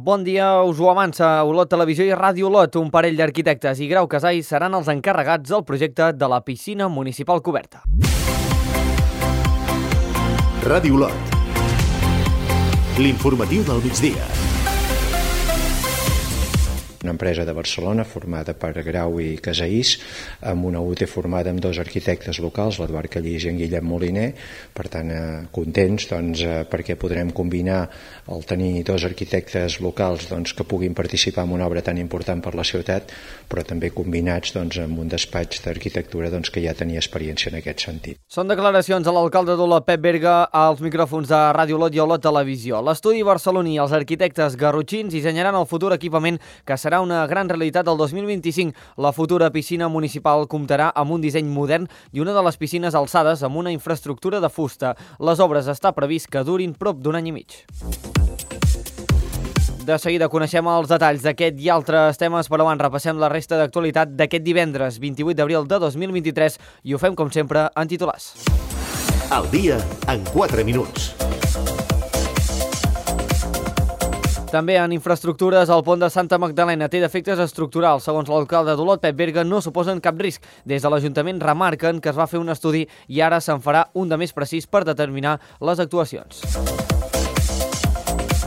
Bon dia, us ho avança Olot Televisió i Ràdio Olot. Un parell d'arquitectes i Grau Casai seran els encarregats del projecte de la piscina municipal coberta. Ràdio Olot. L'informatiu del migdia. Una empresa de Barcelona formada per Grau i Casaís, amb una UT formada amb dos arquitectes locals, l'Eduard Callís i en Guillem Moliner. Per tant, contents perquè podrem combinar el tenir dos arquitectes locals que puguin participar en una obra tan important per la ciutat, però també combinats amb un despatx d'arquitectura que ja tenia experiència en aquest sentit. Són declaracions de l'alcalde d'Olot, Pep Berga, als micròfons de Ràdio Olot i Olot Televisió. L'estudi barceloní i els arquitectes garrotxins dissenyaran el futur equipament que serà una gran realitat del 2025. La futura piscina municipal comptarà amb un disseny modern i una de les piscines alçades amb una infraestructura de fusta. Les obres està previst que durin prop d'un any i mig. De seguida coneixem els detalls d'aquest i altres temes, però abans repassem la resta d'actualitat d'aquest divendres 28 d'abril de 2023 i ho fem com sempre en titulars. El dia en 4 minuts. També en infraestructures, el pont de Santa Magdalena té defectes estructurals. Segons l'alcalde d'Olot, Pep Berga, no suposen cap risc. Des de l'Ajuntament remarquen que es va fer un estudi i ara se'n farà un de més precís per determinar les actuacions.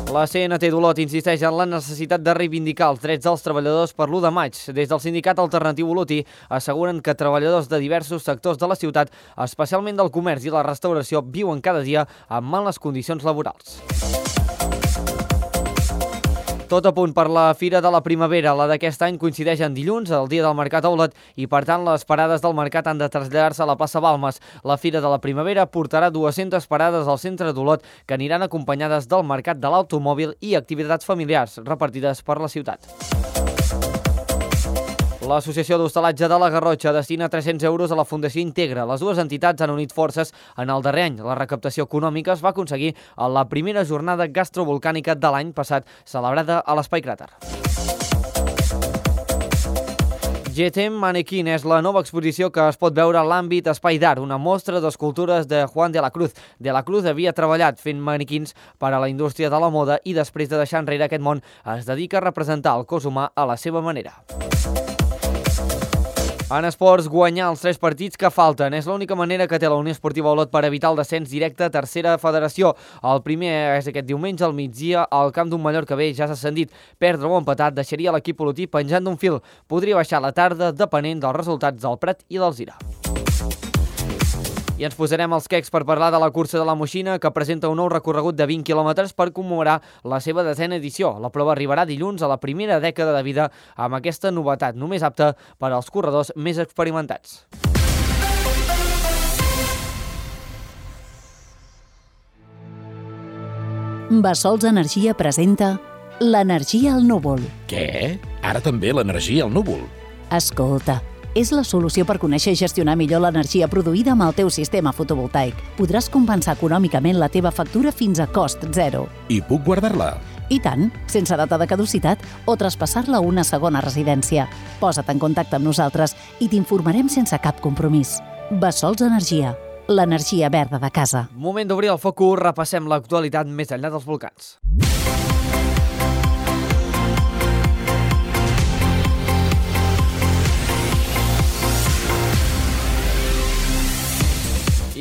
La CNT d'Olot insisteix en la necessitat de reivindicar els drets dels treballadors per l'1 de maig. Des del sindicat alternatiu olotí asseguren que treballadors de diversos sectors de la ciutat, especialment del comerç i la restauració, viuen cada dia en males condicions laborals. Tot a punt per la Fira de la Primavera. La d'aquest any coincideix en dilluns, el dia del mercat a Olot, i per tant les parades del mercat han de traslladar-se a la plaça Balmes. La Fira de la Primavera portarà 200 parades al centre d'Olot que aniran acompanyades del mercat de l'automòbil i activitats familiars repartides per la ciutat. L'Associació d'Hostalatge de la Garrotxa destina 300 euros a la Fundació Integra. Les dues entitats han unit forces en el darrer any. La recaptació econòmica es va aconseguir a la primera jornada gastrovolcànica de l'any passat, celebrada a l'Espai Cràter. GTM Mannequin és la nova exposició que es pot veure a l'àmbit Espai d'Art, una mostra d'escultures de Juan de la Cruz. De la Cruz havia treballat fent manequins per a la indústria de la moda i després de deixar enrere aquest món es dedica a representar el cos humà a la seva manera. En esports, guanyar els 3 partits que falten. És l'única manera que té la Unió Esportiva Olot per evitar el descens directe a tercera federació. El primer és aquest diumenge al migdia al camp d'un Mallorca B ja s'ha ascendit. Perdre o empatat deixaria l'equip olotí penjant d'un fil. Podria baixar la tarda depenent dels resultats del Prat i del Zira. I ens posarem els quecs per parlar de la cursa de la Moixina, que presenta un nou recorregut de 20 quilòmetres per commemorar la seva 10a edició. La prova arribarà dilluns a la primera dècada de vida amb aquesta novetat, només apta per als corredors més experimentats. Bassols Energia presenta l'energia al núvol. Què? Ara també l'energia al núvol? Escolta, és la solució per conèixer i gestionar millor l'energia produïda amb el teu sistema fotovoltaic. Podràs compensar econòmicament la teva factura fins a cost zero. I puc guardar-la? I tant, sense data de caducitat o traspassar-la a una segona residència. Posa't en contacte amb nosaltres i t'informarem sense cap compromís. Bassols Energia, l'energia verda de casa. Moment d'obrir el focus, repassem l'actualitat més enllà dels volcans.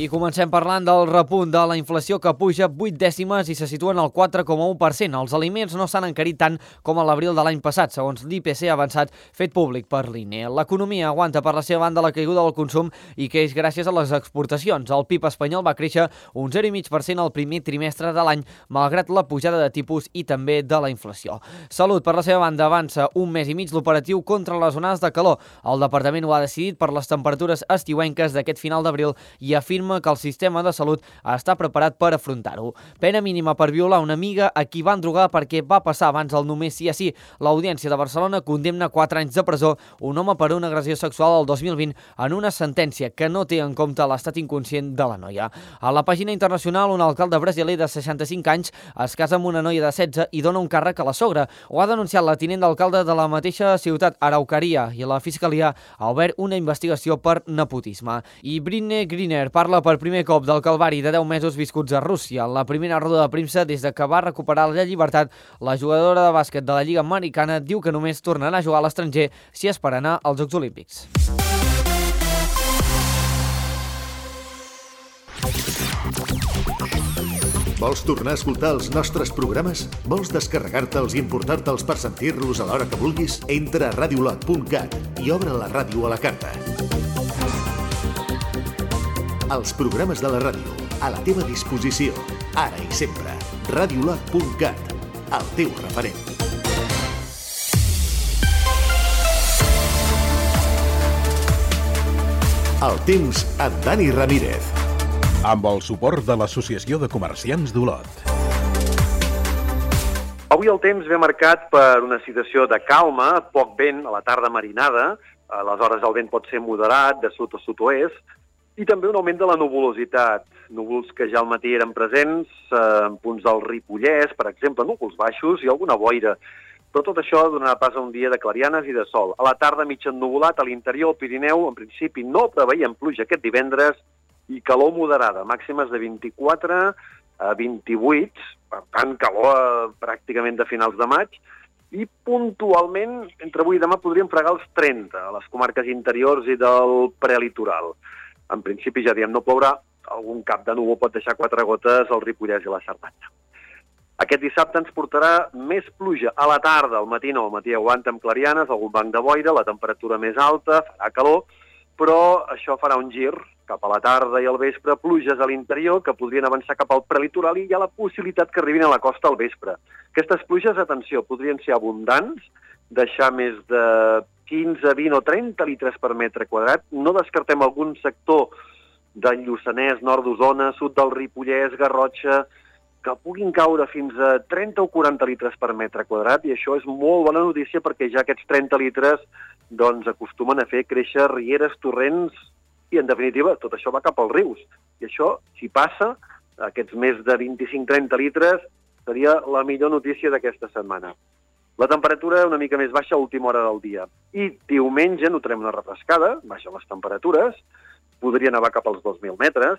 I comencem parlant del repunt de la inflació que puja 8 dècimes i se situa en el 4,1%. Els aliments no s'han encarit tant com a l'abril de l'any passat, segons l'IPC avançat fet públic per l'INE. L'economia aguanta per la seva banda la caiguda del consum i creix gràcies a les exportacions. El PIB espanyol va créixer un 0,5% al primer trimestre de l'any, malgrat la pujada de tipus i també de la inflació. Salut, per la seva banda, avança un mes i mig l'operatiu contra les onades de calor. El departament ho ha decidit per les temperatures estiuenques d'aquest final d'abril i afirma que el sistema de salut està preparat per afrontar-ho. Pena mínima per violar una amiga a qui van drogar perquè va passar abans el només sí a sí. L'Audiència de Barcelona condemna 4 anys de presó un home per una agressió sexual el 2020 en una sentència que no té en compte l'estat inconscient de la noia. A la pàgina internacional, un alcalde brasiler de 65 anys es casa amb una noia de 16 i dona un càrrec a la sogra. Ho ha denunciat la tinent d'alcalde de la mateixa ciutat, Araucaria, i la Fiscalia ha obert una investigació per nepotisme. I Britney Griner parla per per primer cop del calvari de 10 mesos viscuts a Rússia. La primera roda de premsa des de que va recuperar la llibertat, la jugadora de bàsquet de la Lliga Americana diu que només tornarà a jugar a l'estranger si és per anar als Jocs Olímpics. Vols tornar a escoltar els nostres programes? Vols descarregar-te'ls i importar-te'ls per sentir-los a l'hora que vulguis? Entra a radiolot.cat i obre la ràdio a la carta. Els programes de la ràdio, a la teva disposició, ara i sempre. Radiolot.cat, el teu referent. El temps amb Dani Ramírez. Amb el suport de l'Associació de Comerciants d'Olot. Avui el temps ve marcat per una situació de calma, poc vent, a la tarda marinada, aleshores el vent pot ser moderat, de sud o sud-oest, i també un augment de la nuvolositat. Núvols que ja al matí eren presents, en punts del Ripollès, per exemple, núvols baixos i alguna boira. Però tot això donarà pas a un dia de clarianes i de sol. A la tarda mig ennuvolat, a l'interior, al Pirineu, en principi no preveiem pluja aquest divendres, i calor moderada, màximes de 24 a 28, per tant, calor pràcticament de finals de maig, i puntualment, entre avui i demà, podríem fregar els 30 a les comarques interiors i del prelitoral. En principi, ja diem, no plourà, algun cap de núvol pot deixar 4 gotes al Ripollès i la Cerdanya. Aquest dissabte ens portarà més pluja a la tarda, al matí no, al matí aguanta amb clarianes, algun banc de boira, la temperatura més alta, farà calor, però això farà un gir cap a la tarda i al vespre, pluges a l'interior que podrien avançar cap al prelitoral i hi ha la possibilitat que arribin a la costa al vespre. Aquestes pluges, atenció, podrien ser abundants, deixar més de 15, 20 o 30 litres per metre quadrat. No descartem algun sector del Lluçanès, nord d'Osona, sud del Ripollès, Garrotxa, que puguin caure fins a 30 o 40 litres per metre quadrat i això és molt bona notícia perquè ja aquests 30 litres doncs acostumen a fer créixer rieres, torrents i, en definitiva, tot això va cap als rius. I això, si passa, aquests més de 25-30 litres, seria la millor notícia d'aquesta setmana. La temperatura una mica més baixa a última hora del dia. I diumenge notarem una refrescada, baixen les temperatures, podria nevar cap als 2.000 metres,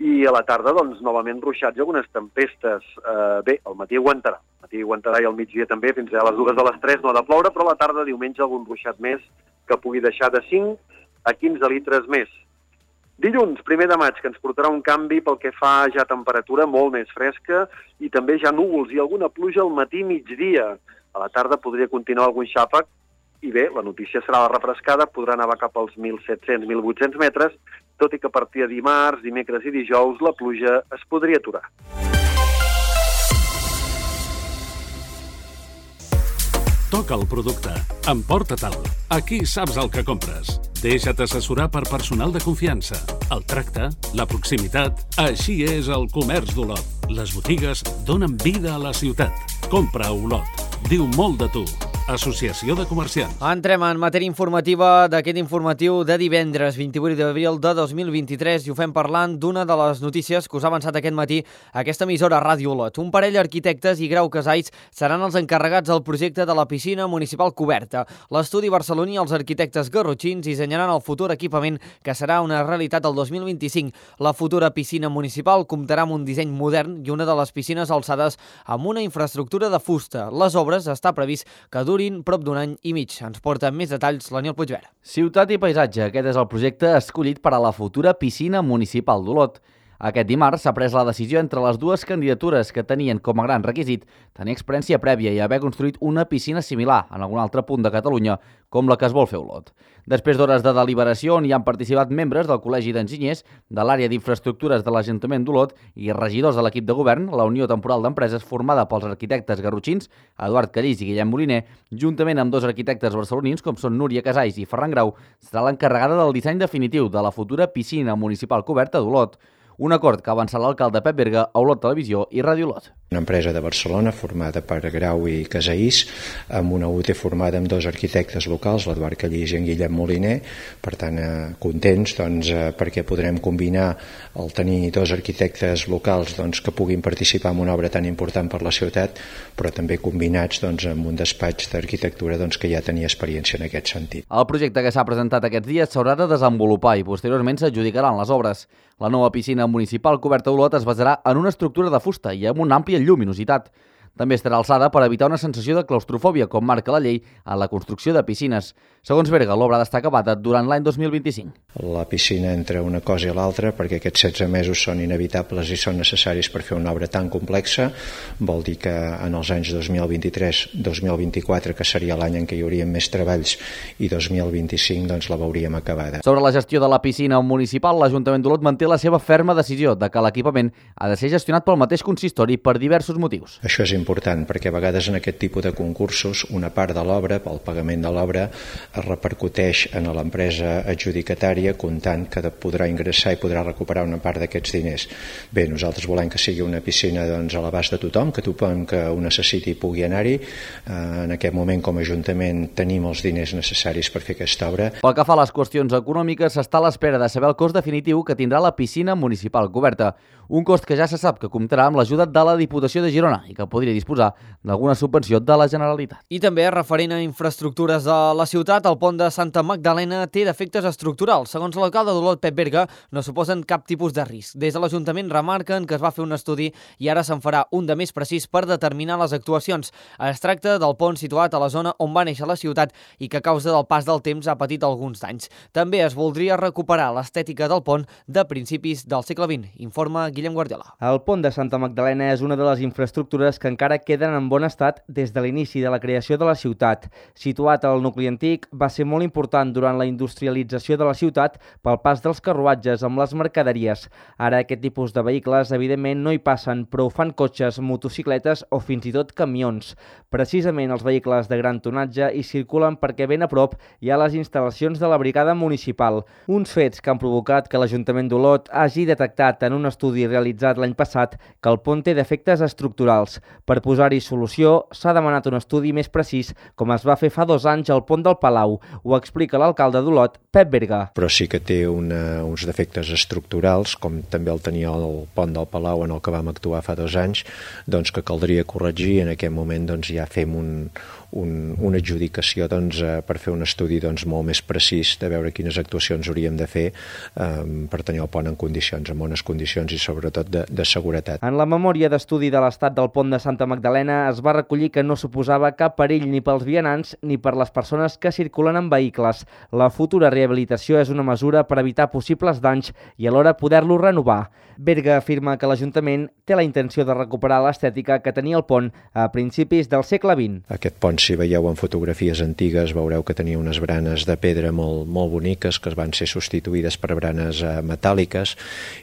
i a la tarda, doncs, novament ruixats i algunes tempestes. Bé, al matí aguantarà. Al matí aguantarà i al migdia també, fins a les 2 de les 3 no ha de ploure, però a la tarda, diumenge, algun ruixat més que pugui deixar de 5 a 15 litres més. Dilluns, 1 de maig, que ens portarà un canvi pel que fa ja temperatura molt més fresca i també ja núvols i alguna pluja al matí migdia. A la tarda podria continuar algun xàfec i bé, la notícia serà la refrescada, podrà nevar cap als 1.700-1.800 metres, tot i que a partir de dimarts, dimecres i dijous la pluja es podria aturar. Toca el producte. Emporta-te'l. Aquí saps el que compres. Deixa't assessorar per personal de confiança. El tracte, la proximitat... Així és el comerç d'Olot. Les botigues donen vida a la ciutat. Compra a Olot. Diu molt de tu. Associació de Comerciants. Entrem en matèria informativa d'aquest informatiu de divendres 28 d'abril de 2023 i ho fem parlant d'una de les notícies que us ha avançat aquest matí aquesta emissora Ràdio Olot. Un parell d'arquitectes i Grau Casais seran els encarregats del projecte de la piscina municipal coberta. L'estudi barceloní i els arquitectes garrotxins dissenyaran el futur equipament que serà una realitat el 2025. La futura piscina municipal comptarà amb un disseny modern i una de les piscines alçades amb una infraestructura de fusta. Les obres està previst que durin prop d'un any i mig. Ens porta més detalls l'Aniol Puigverd. Ciutat i paisatge. Aquest és el projecte escollit per a la futura piscina municipal d'Olot. Aquest dimarts s'ha pres la decisió entre les dues candidatures que tenien com a gran requisit tenir experiència prèvia i haver construït una piscina similar en algun altre punt de Catalunya, com la que es vol fer a Olot. Després d'hores de deliberació on hi han participat membres del Col·legi d'Enginyers, de l'àrea d'infraestructures de l'Ajuntament d'Olot i regidors de l'equip de govern, la Unió Temporal d'Empreses formada pels arquitectes garrotxins, Eduard Callís i Guillem Moliner, juntament amb 2 arquitectes barcelonins com són Núria Casais i Ferran Grau, serà l'encarregada del disseny definitiu de la futura piscina municipal coberta d'Olot. Un acord que avançarà l'alcalde Pep Berga a Olot Televisió i Ràdio Olot. Una empresa de Barcelona formada per Grau i Casaís, amb una UT formada amb 2 arquitectes locals, l'Eduard Callís i en Guillem Moliner. Per tant, contents perquè podrem combinar el tenir 2 arquitectes locals que puguin participar en una obra tan important per la ciutat, però també combinats amb un despatx d'arquitectura que ja tenia experiència en aquest sentit. El projecte que s'ha presentat aquests dies s'haurà de desenvolupar i posteriorment s'adjudicaran les obres. La nova piscina municipal coberta d'Olot es basarà en una estructura de fusta i amb una àmplia lluminositat. També estarà alçada per evitar una sensació de claustrofòbia, com marca la llei en la construcció de piscines. Segons Berga, l'obra ha d'estar acabada durant l'any 2025. La piscina entre una cosa i l'altra, perquè aquests 16 mesos són inevitables i són necessaris per fer una obra tan complexa, vol dir que en els anys 2023-2024, que seria l'any en què hi haurien més treballs, i 2025 la veuríem acabada. Sobre la gestió de la piscina municipal, l'Ajuntament d'Olot manté la seva ferma decisió de que l'equipament ha de ser gestionat pel mateix consistori per diversos motius. Això és important perquè a vegades en aquest tipus de concursos una part de l'obra, pel pagament de l'obra, es repercuteix en l'empresa adjudicatària comptant que podrà ingressar i podrà recuperar una part d'aquests diners. Bé, nosaltres volem que sigui una piscina a l'abast de tothom, que tothom que ho necessiti pugui anar-hi. En aquest moment com a Ajuntament tenim els diners necessaris per fer aquesta obra. Pel que fa a les qüestions econòmiques, s'està a l'espera de saber el cost definitiu que tindrà la piscina municipal coberta. Un cost que ja se sap que comptarà amb l'ajuda de la Diputació de Girona i que podria disposar d'alguna subvenció de la Generalitat. I també referent a infraestructures de la ciutat, el pont de Santa Magdalena té defectes estructurals. Segons l'alcalde d'Olot, Pep Berga, no suposen cap tipus de risc. Des de l'Ajuntament remarquen que es va fer un estudi i ara se'n farà un de més precís per determinar les actuacions. Es tracta del pont situat a la zona on va néixer la ciutat i que a causa del pas del temps ha patit alguns danys. També es voldria recuperar l'estètica del pont de principis del segle XX, informa Guillem Guardiola. El pont de Santa Magdalena és una de les infraestructures que encara queden en bon estat des de l'inici de la creació de la ciutat. Situat al nucli antic, va ser molt important durant la industrialització de la ciutat pel pas dels carruatges amb les mercaderies. Ara aquest tipus de vehicles evidentment no hi passen, però ho fan cotxes, motocicletes o fins i tot camions. Precisament els vehicles de gran tonatge hi circulen perquè ben a prop hi ha les instal·lacions de la brigada municipal. Uns fets que han provocat que l'Ajuntament d'Olot hagi detectat en un estudi realitzat l'any passat que el pont té defectes estructurals. Per posar-hi solució, s'ha demanat un estudi més precís, com es va fer fa 2 anys al pont del Palau. Ho explica l'alcalde d'Olot, Pep Berga. Però sí que té uns defectes estructurals, com també el tenia el pont del Palau en el que vam actuar fa 2 anys, que caldria corregir. En aquest moment ja fem una adjudicació per fer un estudi molt més precís de veure quines actuacions hauríem de fer per tenir el pont en condicions, en bones condicions i sobretot de seguretat. En la memòria d'estudi de l'estat del pont de Santa Magdalena es va recollir que no suposava cap perill ni pels vianants ni per les persones que circulen en vehicles. La futura rehabilitació és una mesura per evitar possibles danys i alhora poder-lo renovar. Berga afirma que l'Ajuntament té la intenció de recuperar l'estètica que tenia el pont a principis del segle XX. Aquest pont, si veieu en fotografies antigues, veureu que tenia unes branes de pedra molt boniques que van ser substituïdes per branes metàl·liques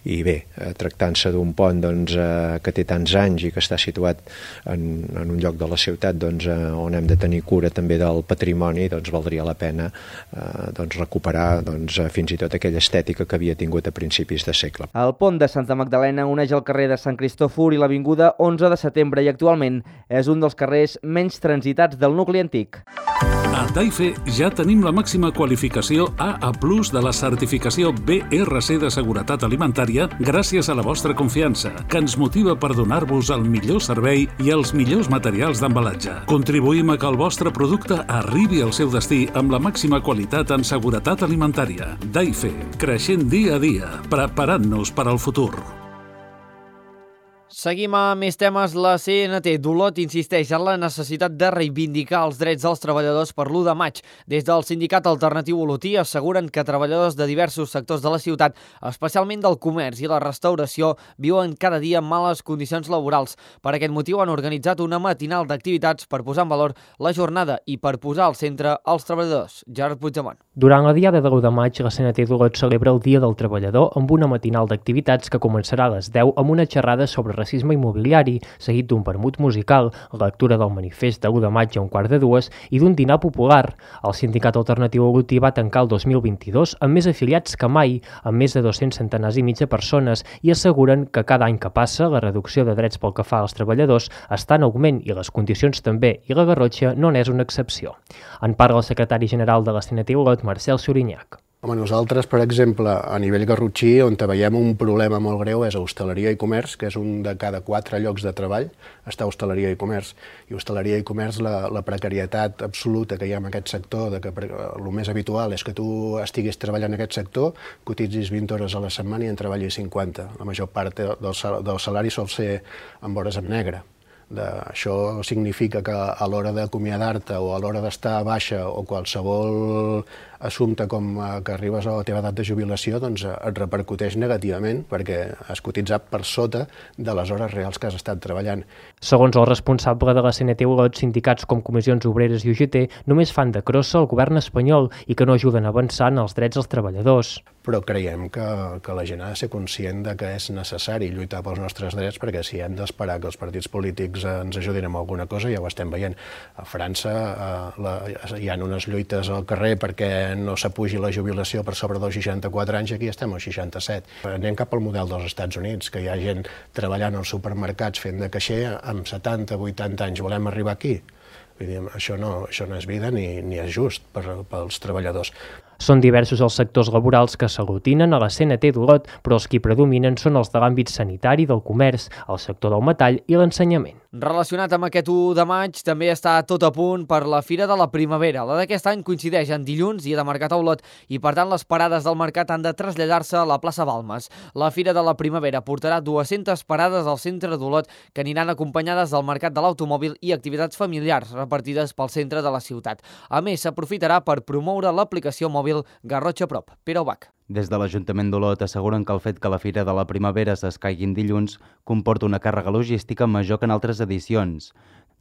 i bé, tractant-se d'un pont que té tants anys i que està situat en un lloc de la ciutat on hem de tenir cura també del patrimoni, valdria la pena recuperar fins i tot aquella estètica que havia tingut a principis de segle. El pont de Santa Magdalena uneix el carrer de Sant Cristòfor i l'avinguda 11 de setembre i actualment és un dels carrers menys transitats del nucli antic. A Taife ja tenim la màxima qualificació AA+ de la certificació BRC de seguretat alimentària gràcies a la vostra confiança, que ens motiva per donar-vos el millor servei i els millors materials d'embalatge. Contribuïm a que el vostre producte arribi al seu destí amb la màxima qualitat en seguretat alimentària. Taife, creixent dia a dia, preparant-nos per al futur. Seguim amb més temes. La CNT d'Olot insisteix en la necessitat de reivindicar els drets dels treballadors per l'1 de maig. Des del sindicat alternatiu olotí asseguren que treballadors de diversos sectors de la ciutat, especialment del comerç i la restauració, viuen cada dia en males condicions laborals. Per aquest motiu han organitzat una matinal d'activitats per posar en valor la jornada i per posar al centre els treballadors. Gerard Puigdemont. Durant la diada de l'1 de maig, la CNT d'Olot celebra el Dia del Treballador amb una matinal d'activitats que començarà a les 10 amb una xerrada sobre classisme immobiliari, seguit d'un vermut musical, lectura del manifest de l'1 de maig a 1:45 i d'un dinar popular. El sindicat alternatiu Agutí va tancar el 2022 amb més afiliats que mai, amb més de 200 centenars i mig de persones, i asseguren que cada any que passa la reducció de drets pel que fa als treballadors està en augment i les condicions també, i la Garrotxa no n'és una excepció. En parla el secretari general de la CNT Olot, Marcel Sorinyac. Home, nosaltres, per exemple, a nivell garrotxí, on veiem un problema molt greu és a hostaleria i comerç, que és un de cada 4 llocs de treball, està hostaleria i comerç. I hostaleria i comerç, la precarietat absoluta que hi ha en aquest sector, que el més habitual és que tu estiguis treballant en aquest sector, cotitzis 20 hores a la setmana i en treballis 50. La major part del salari sol ser amb hores en negre. Això significa que a l'hora d'acomiadar-te o a l'hora d'estar a baixa o qualsevol assumpte com que arribes a la teva edat de jubilació, doncs et repercuteix negativament perquè has cotitzat per sota de les hores reals que has estat treballant. Segons el responsable de la CNT Olot, sindicats com Comissions Obreres i UGT només fan de crossa al govern espanyol i que no ajuden a avançar en els drets dels treballadors. Però creiem que la gent ha de ser conscient de que és necessari lluitar pels nostres drets, perquè si hem d'esperar que els partits polítics ens ajudin amb alguna cosa, ja ho estem veient. A França hi ha unes lluites al carrer perquè no s'apugi la jubilació per sobre dels 64 anys, i aquí estem als 67. Anem cap al model dels Estats Units, que hi ha gent treballant als supermercats fent de caixer amb 70, 80 anys. Volem arribar aquí? Vull dir, això no és vida ni és just pels treballadors. Són diversos els sectors laborals que s'aglutinen a la CNT d'Olot, però els qui predominen són els de l'àmbit sanitari, del comerç, el sector del metall i l'ensenyament. Relacionat amb aquest 1 de maig, també està tot a punt per la Fira de la Primavera. La d'aquest any coincideix en dilluns, dia de mercat a Olot, i per tant les parades del mercat han de traslladar-se a la plaça Balmes. La Fira de la Primavera portarà 200 parades al centre d'Olot que aniran acompanyades del mercat de l'automòbil i activitats familiars repartides pel centre de la ciutat. A més, s'aprofitarà per promoure l'aplicació mòbil Garrotxa Prop. Pere Ubach. Des de l'Ajuntament d'Olot asseguren que el fet que la Fira de la Primavera s'escaigui dilluns comporta una càrrega logística major que en altres edicions.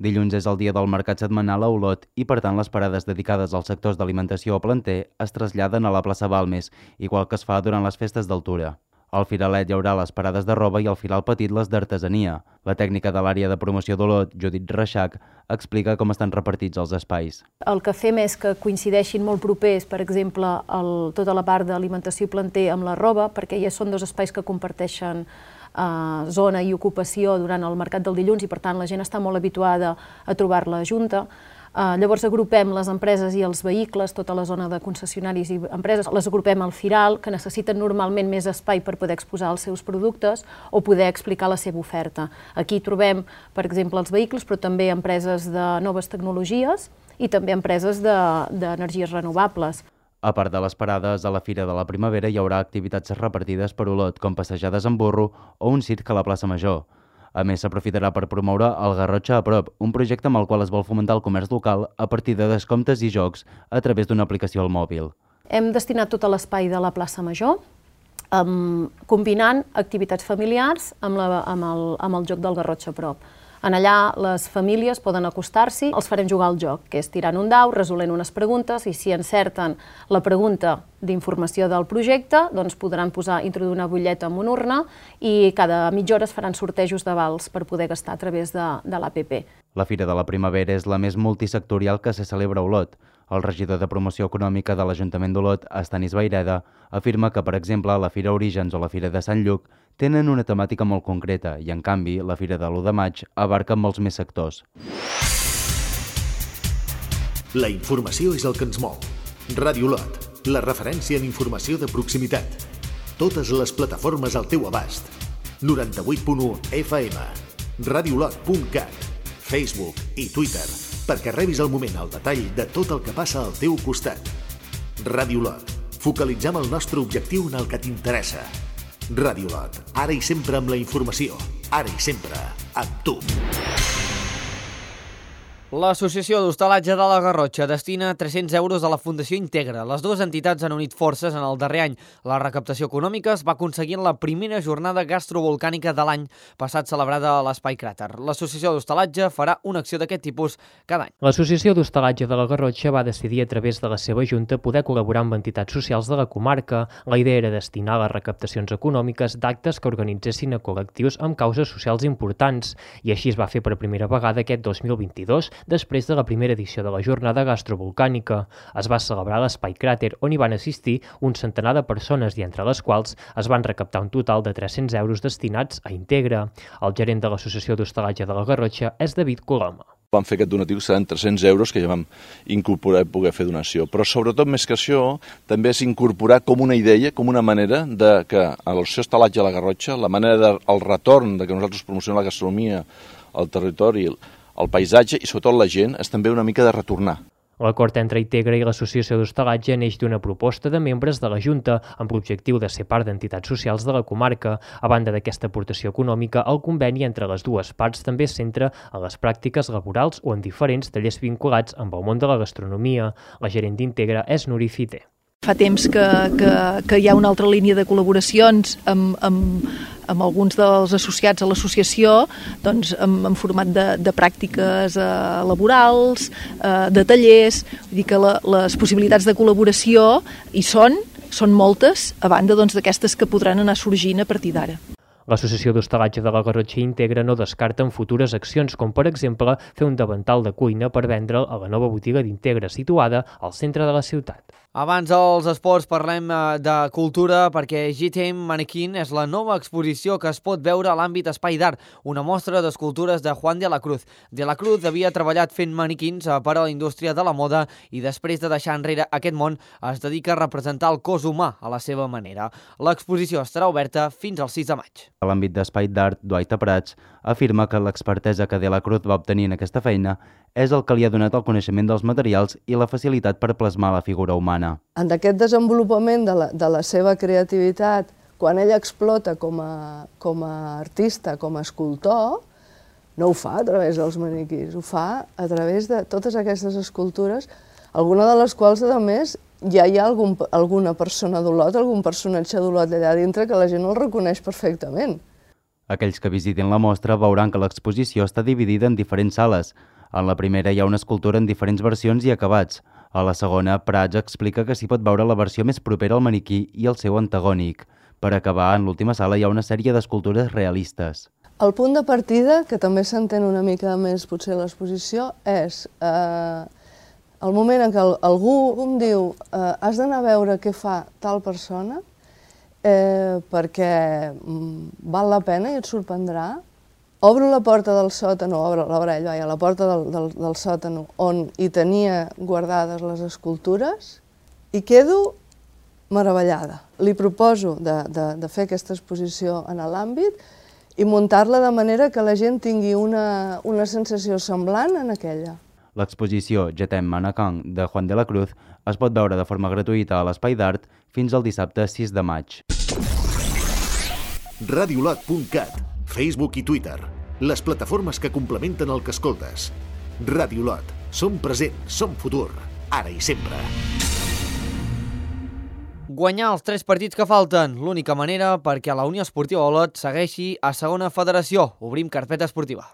Dilluns és el dia del mercat setmanal a Olot i, per tant, les parades dedicades als sectors d'alimentació o planter es traslladen a la plaça Balmes, igual que es fa durant les festes d'altura. Al Firalet hi haurà les parades de roba i al Firal Petit les d'artesania. La tècnica de l'àrea de promoció d'Olot, Judit Reixac, explica com estan repartits els espais. El que fem és que coincideixin molt propers, per exemple, tota la part d'alimentació i planter amb la roba, perquè ja són dos espais que comparteixen zona i ocupació durant el mercat del dilluns i, per tant, la gent està molt habituada a trobar-la junta. Llavors agrupem les empreses i els vehicles, tota la zona de concessionaris i empreses, les agrupem al Firal, que necessiten normalment més espai per poder exposar els seus productes o poder explicar la seva oferta. Aquí trobem, per exemple, els vehicles, però també empreses de noves tecnologies i també empreses d'energies renovables. A part de les parades, a la Fira de la Primavera hi haurà activitats repartides per Olot, com passejades en burro o un circ a la plaça Major. A més, s'aprofitarà per promoure el Garrotxa a Prop, un projecte amb el qual es vol fomentar el comerç local a partir de descomptes i jocs a través d'una aplicació al mòbil. Hem destinat tot l'espai de la plaça Major, combinant activitats familiars amb el joc del Garrotxa a Prop. En allà les famílies poden acostar-s'hi, els farem jugar al joc, que és tirant un dau, resolent unes preguntes, i si encerten la pregunta d'informació del projecte, doncs podran introduir una butlleta en una urna i cada mitja hora es faran sortejos de vals per poder gastar a través de l'APP. La Fira de la Primavera és la més multisectorial que se celebra a Olot. El regidor de Promoció Econòmica de l'Ajuntament d'Olot, Estanis Vaireda, afirma que, per exemple, la Fira Orígens o la Fira de Sant Lluc tenen una temàtica molt concreta i, en canvi, la Fira de l'1 de maig abarca molts més sectors. La informació és el que ens mou. Ràdio Olot, la referència en informació de proximitat. Totes les plataformes al teu abast. 98.1 FM, radiolot.cat, Facebook i Twitter, perquè rebis al moment el detall de tot el que passa al teu costat. Ràdio Olot, focalitzem el nostre objectiu en el que t'interessa. Ràdio Olot, ara i sempre amb la informació, ara i sempre amb tu. L'Associació d'Hostalatge de la Garrotxa destina 300 euros a la Fundació Integra. Les dues entitats han unit forces en el darrer any. La recaptació econòmica es va aconseguir en la primera jornada gastrovolcànica de l'any passat celebrada a l'Espai Cràter. L'Associació d'Hostalatge farà una acció d'aquest tipus cada any. L'Associació d'Hostalatge de la Garrotxa va decidir a través de la seva junta poder col·laborar amb entitats socials de la comarca. La idea era destinar les recaptacions econòmiques d'actes que organitzessin a col·lectius amb causes socials importants. I així es va fer per primera vegada aquest 2022, després de la primera edició de la jornada gastrovolcànica. Es va celebrar a l'Espai Cràter, on hi van assistir un centenar de persones i entre les quals es van recaptar un total de 300 euros destinats a Integra. El gerent de l'Associació d'Hostalatge de la Garrotxa és David Coloma. Vam fer aquest donatiu que seran 300 euros que ja vam incorporar i poder fer donació. Però sobretot més que això, també és incorporar com una idea, com una manera de que a l'Associació d'Hostalatge de la Garrotxa, la manera del retorn de que nosaltres promocionem la gastronomia, el territori, el paisatge i sobretot la gent és també una mica de retornar. L'acord entre Integra i l'Associació d'Hostalatge neix d'una proposta de membres de la Junta amb l'objectiu de ser part d'entitats socials de la comarca. A banda d'aquesta aportació econòmica, el conveni entre les dues parts també es centra en les pràctiques laborals o en diferents tallers vinculats amb el món de la gastronomia. La gerent d'Integra és Nuri Fite. Fa temps que hi ha una altra línia de col·laboracions amb alguns dels associats a l'associació, doncs, en format de pràctiques laborals, de tallers. Vull dir que les possibilitats de col·laboració hi són moltes, a banda d'aquestes que podran anar sorgint a partir d'ara. L'Associació d'Hostalatge de la Garrotxa Integra no descarta en futures accions, com per exemple fer un davantal de cuina per vendre'l a la nova botiga d'Integra situada al centre de la ciutat. Abans dels esports parlem de cultura perquè GTM Mannequin és la nova exposició que es pot veure a l'àmbit Espai d'Art, una mostra d'escultures de Juan de la Cruz. De la Cruz havia treballat fent maniquins per a la indústria de la moda i després de deixar enrere aquest món es dedica a representar el cos humà a la seva manera. L'exposició estarà oberta fins al 6 de maig. A l'àmbit d'Espai d'Art, Dwight Prats afirma que l'expertesa que De la Cruz va obtenir en aquesta feina és el que li ha donat el coneixement dels materials i la facilitat per plasmar la figura humana. En aquest desenvolupament de la seva creativitat, quan ella explota com a artista, com a escultor, no ho fa a través dels maniquís, ho fa a través de totes aquestes escultures, alguna de les quals, a més, ja hi ha alguna persona d'Olot, algun personatge d'Olot allà dintre que la gent el reconeix perfectament. Aquells que visitin la mostra veuran que l'exposició està dividida en diferents sales. En la primera hi ha una escultura en diferents versions i acabats. A la segona, Prats explica que s'hi pot veure la versió més propera al maniquí i el seu antagònic. Per acabar, en l'última sala hi ha una sèrie d'escultures realistes. El punt de partida, que també s'entén una mica més potser a l'exposició, és el moment en què algú em diu has d'anar a veure què fa tal persona perquè val la pena i et sorprendrà. Obro la porta del sòtan, la porta del sòtan on hi tenia guardades les escultures i quedo meravellada. Li proposo de fer aquesta exposició en l'àmbit i muntar-la de manera que la gent tingui una sensació semblant en aquella. L'exposició GTM Mannequin de Juan de la Cruz es pot veure de forma gratuïta a l'Espai d'Art fins al dissabte 6 de maig. Radiolot.cat, Facebook i Twitter, les plataformes que complementen el que escoltes. Radiolot, som present, som futur, ara i sempre. Guanyar els 3 partits que falten, l'única manera perquè la Unió Esportiva Olot segueixi a segona federació. Obrim carpeta esportiva.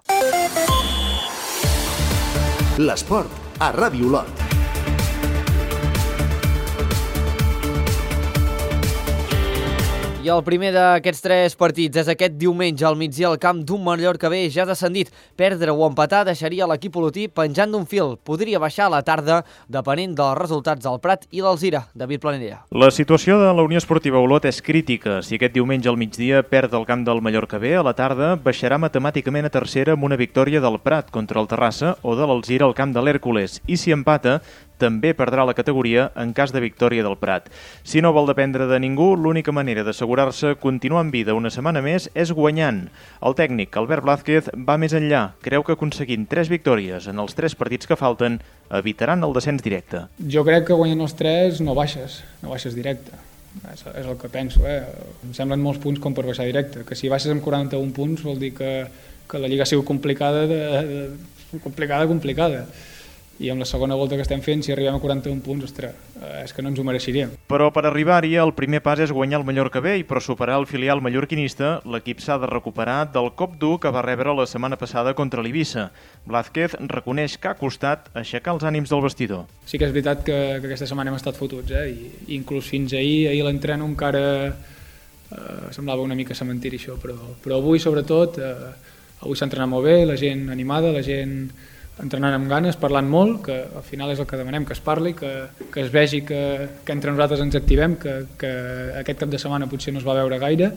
L'esport a Ràdio Olot. I el primer d'aquests 3 partits és aquest diumenge al migdia al camp d'un Mallorca B ja descendit. Perdre o empatar deixaria l'equip olotí penjant d'un fil. Podria baixar a la tarda depenent dels resultats del Prat i l'Alzira. David Planella. La situació de la Unió Esportiva Olot és crítica. Si aquest diumenge al migdia perd el camp del Mallorca B, a la tarda baixarà matemàticament a tercera amb una victòria del Prat contra el Terrassa o de l'Alzira al camp de l'Hèrcules. I si empata, també perdrà la categoria en cas de victòria del Prat. Si no vol dependre de ningú, l'única manera d'assegurar-se continuar en vida una setmana més és guanyant. El tècnic Albert Blázquez va més enllà. Creu que aconseguint 3 victòries en els 3 partits que falten evitaran el descens directe. Jo crec que guanyant els 3 no baixes directe. És el que penso. Em semblen molts punts com per baixar directe. Que si baixes amb 41 punts vol dir que la Lliga ha sigut complicada complicada. I amb la segona volta que estem fent, si arribem a 41 punts, ostres, és que no ens ho mereixeríem. Però per arribar-hi, el primer pas és guanyar el Mallorca B i per superar el filial mallorquinista, l'equip s'ha de recuperar del cop dur que va rebre la setmana passada contra l'Eivissa. Blázquez reconeix que ha costat aixecar els ànims del vestidor. Sí que és veritat que aquesta setmana hem estat fotuts, i inclús fins ahir l'entreno encara semblava una mica cementiri això, però avui sobretot, avui s'ha entrenat molt bé, la gent animada, la gent entrenant amb ganes, parlant molt, que al final és el que demanem, que es parli, que es vegi que entre nosaltres ens activem, que aquest cap de setmana potser no es va veure gaire,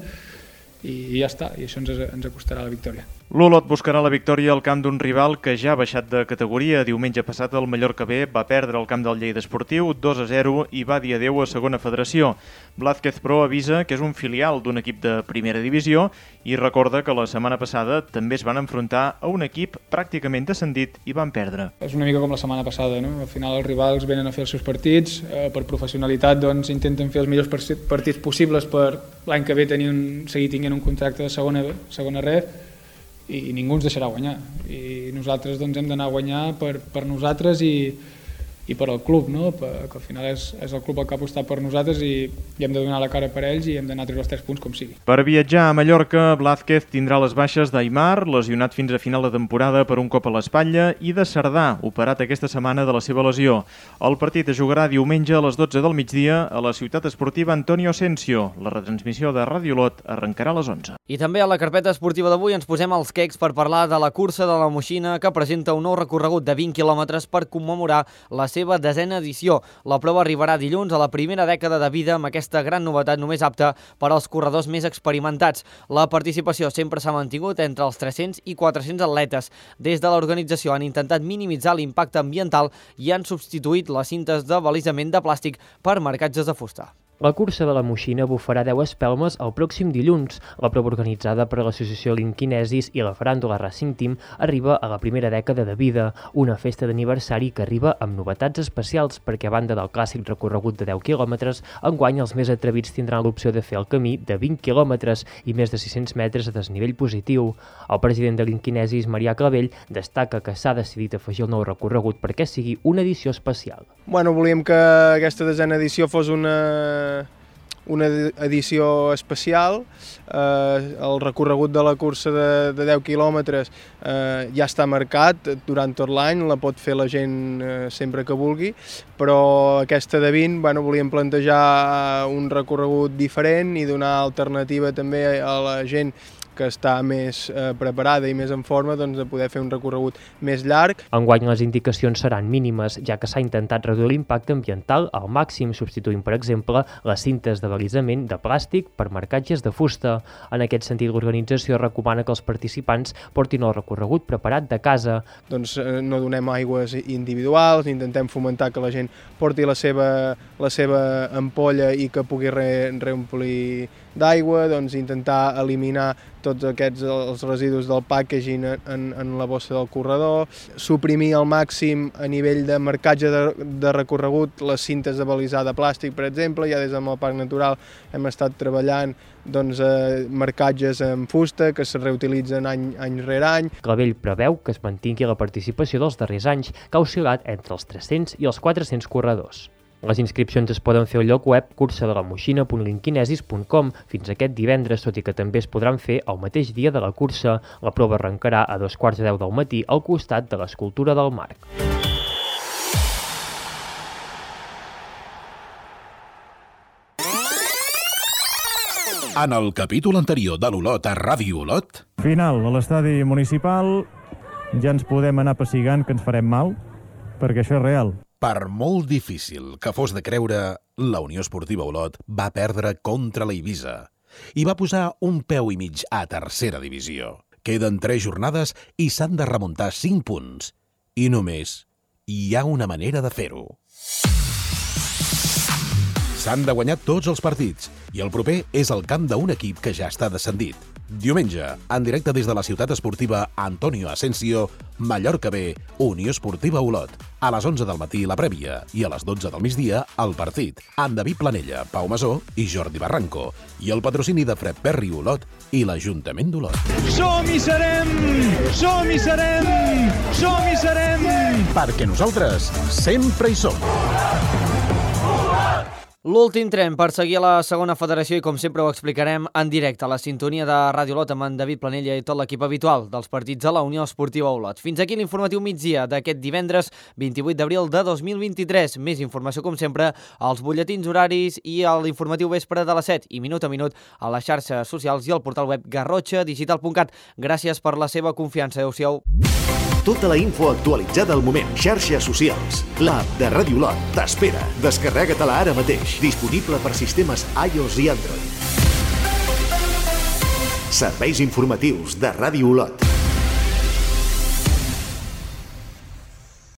i ja està, i això ens acostarà la victòria. L'Olot buscarà la victòria al camp d'un rival que ja ha baixat de categoria. Diumenge passat el Mallorca B va perdre el camp del Lleida Esportiu 2-0 i va dir adeu a segona federació. Blázquez, però, avisa que és un filial d'un equip de primera divisió i recorda que la setmana passada també es van enfrontar a un equip pràcticament descendit i van perdre. És una mica com la setmana passada, no? Al final els rivals venen a fer els seus partits, per professionalitat doncs intenten fer els millors partits possibles per l'any que ve seguir tenint un contracte de segona ref, i ningú ens deixarà guanyar, i nosaltres doncs hem d'anar a guanyar per nosaltres i per al club, no? Que al final és el club el que ha apostat per nosaltres i hem de donar la cara per ells i hem d'anar a treure els 3 punts com sigui. Per viatjar a Mallorca, Blázquez tindrà les baixes d'Aimar, lesionat fins a final de temporada per un cop a l'espatlla, i de Cerdà, operat aquesta setmana de la seva lesió. El partit es jugarà diumenge a les 12 del migdia a la ciutat esportiva Antonio Asensio. La retransmissió de Ràdio Olot arrencarà a les 11. I també a la carpeta esportiva d'avui ens posem als quecs per parlar de la cursa de la Moixina, que presenta un nou recorregut de 20 quilòmetres per commemorar la seva 10a edició. La prova arribarà dilluns a la primera dècada de vida amb aquesta gran novetat només apta per als corredors més experimentats. La participació sempre s'ha mantingut entre els 300 i 400 atletes. Des de l'organització han intentat minimitzar l'impacte ambiental i han substituït les cintes de balisament de plàstic per marcatges de fusta. La cursa de la Moixina bufarà 10 espelmes el pròxim dilluns. La prova organitzada per l'associació Linkinesis i la faràndula Racing Team arriba a la primera dècada de vida, una festa d'aniversari que arriba amb novetats especials perquè a banda del clàssic recorregut de 10 quilòmetres, enguany els més atrevits tindran l'opció de fer el camí de 20 quilòmetres i més de 600 metres de desnivell positiu. El president de Linkinesis, Marià Clavell, destaca que s'ha decidit afegir el nou recorregut perquè sigui una edició especial. Volíem que aquesta 10a edició fos una edició especial. El recorregut de la cursa de 10 quilòmetres ja està marcat durant tot l'any, la pot fer la gent sempre que vulgui, però aquesta de 20 volíem plantejar un recorregut diferent i donar alternativa també a la gent que està més preparada i més en forma de poder fer un recorregut més llarg. Enguany les indicacions seran mínimes, ja que s'ha intentat reduir l'impacte ambiental al màxim, substituint, per exemple, les cintes de balisament de plàstic per marcatges de fusta. En aquest sentit, l'organització recomana que els participants portin el recorregut preparat de casa. No donem aigües individuals, intentem fomentar que la gent porti la seva ampolla i que pugui reomplir d'aigua, intentar eliminar tots els residus del packaging en la bossa del corredor, suprimir al màxim a nivell de marcatge de recorregut les cintes de balisar de plàstic, per exemple. Ja des del Parc Natural hem estat treballant marcatges en fusta que es reutilitzen any rere any. Clavell preveu que es mantingui la participació dels darrers anys, que ha oscil·lat entre els 300 i els 400 corredors. Les inscripcions es poden fer al lloc web cursadelamoixina.linkinesis.com fins aquest divendres, tot i que també es podran fer el mateix dia de la cursa. La prova arrencarà a 2:45 del matí al costat de l'escultura del Marc. En el capítol anterior de l'Olot a Ràdio Olot... Final, a l'estadi municipal ja ens podem anar pessigant que ens farem mal, perquè això és real. Per molt difícil que fos de creure, la Unió Esportiva Olot va perdre contra la Eivissa i va posar un peu i mig a tercera divisió. Queden 3 jornades i s'han de remuntar 5 punts. I només hi ha una manera de fer-ho. S'han de guanyar tots els partits i el proper és el camp d'un equip que ja està descendit. Diumenge, en directe des de la ciutat esportiva Antonio Asensio, Mallorca B, Unió Esportiva Olot. A les 11 del matí la prèvia i a les 12 del migdia el partit, amb David Planella, Pau Masó i Jordi Barranco, i el patrocini de Fred Perry Olot i l'Ajuntament d'Olot. Som-hi serem! Som-hi serem! Som-hi serem! Perquè nosaltres sempre hi som. L'últim tren per seguir a la segona federació i com sempre ho explicarem en directe a la sintonia de Ràdio Olot amb en David Planella i tot l'equip habitual dels partits de la Unió Esportiva Olot. Fins aquí l'informatiu migdia d'aquest divendres 28 d'abril de 2023. Més informació com sempre als butlletins horaris i a l'informatiu vespre de les 7 i minut a minut a les xarxes socials i al portal web garrotxadigital.cat. Gràcies per la seva confiança. Adéu-siau. Tota la info actualitzada al moment. Xarxes socials. L'app de Ràdio Olot t'espera. Descarrega-te-la ara mateix. Disponible per sistemes iOS i Android. Serveis informatius de Ràdio Olot.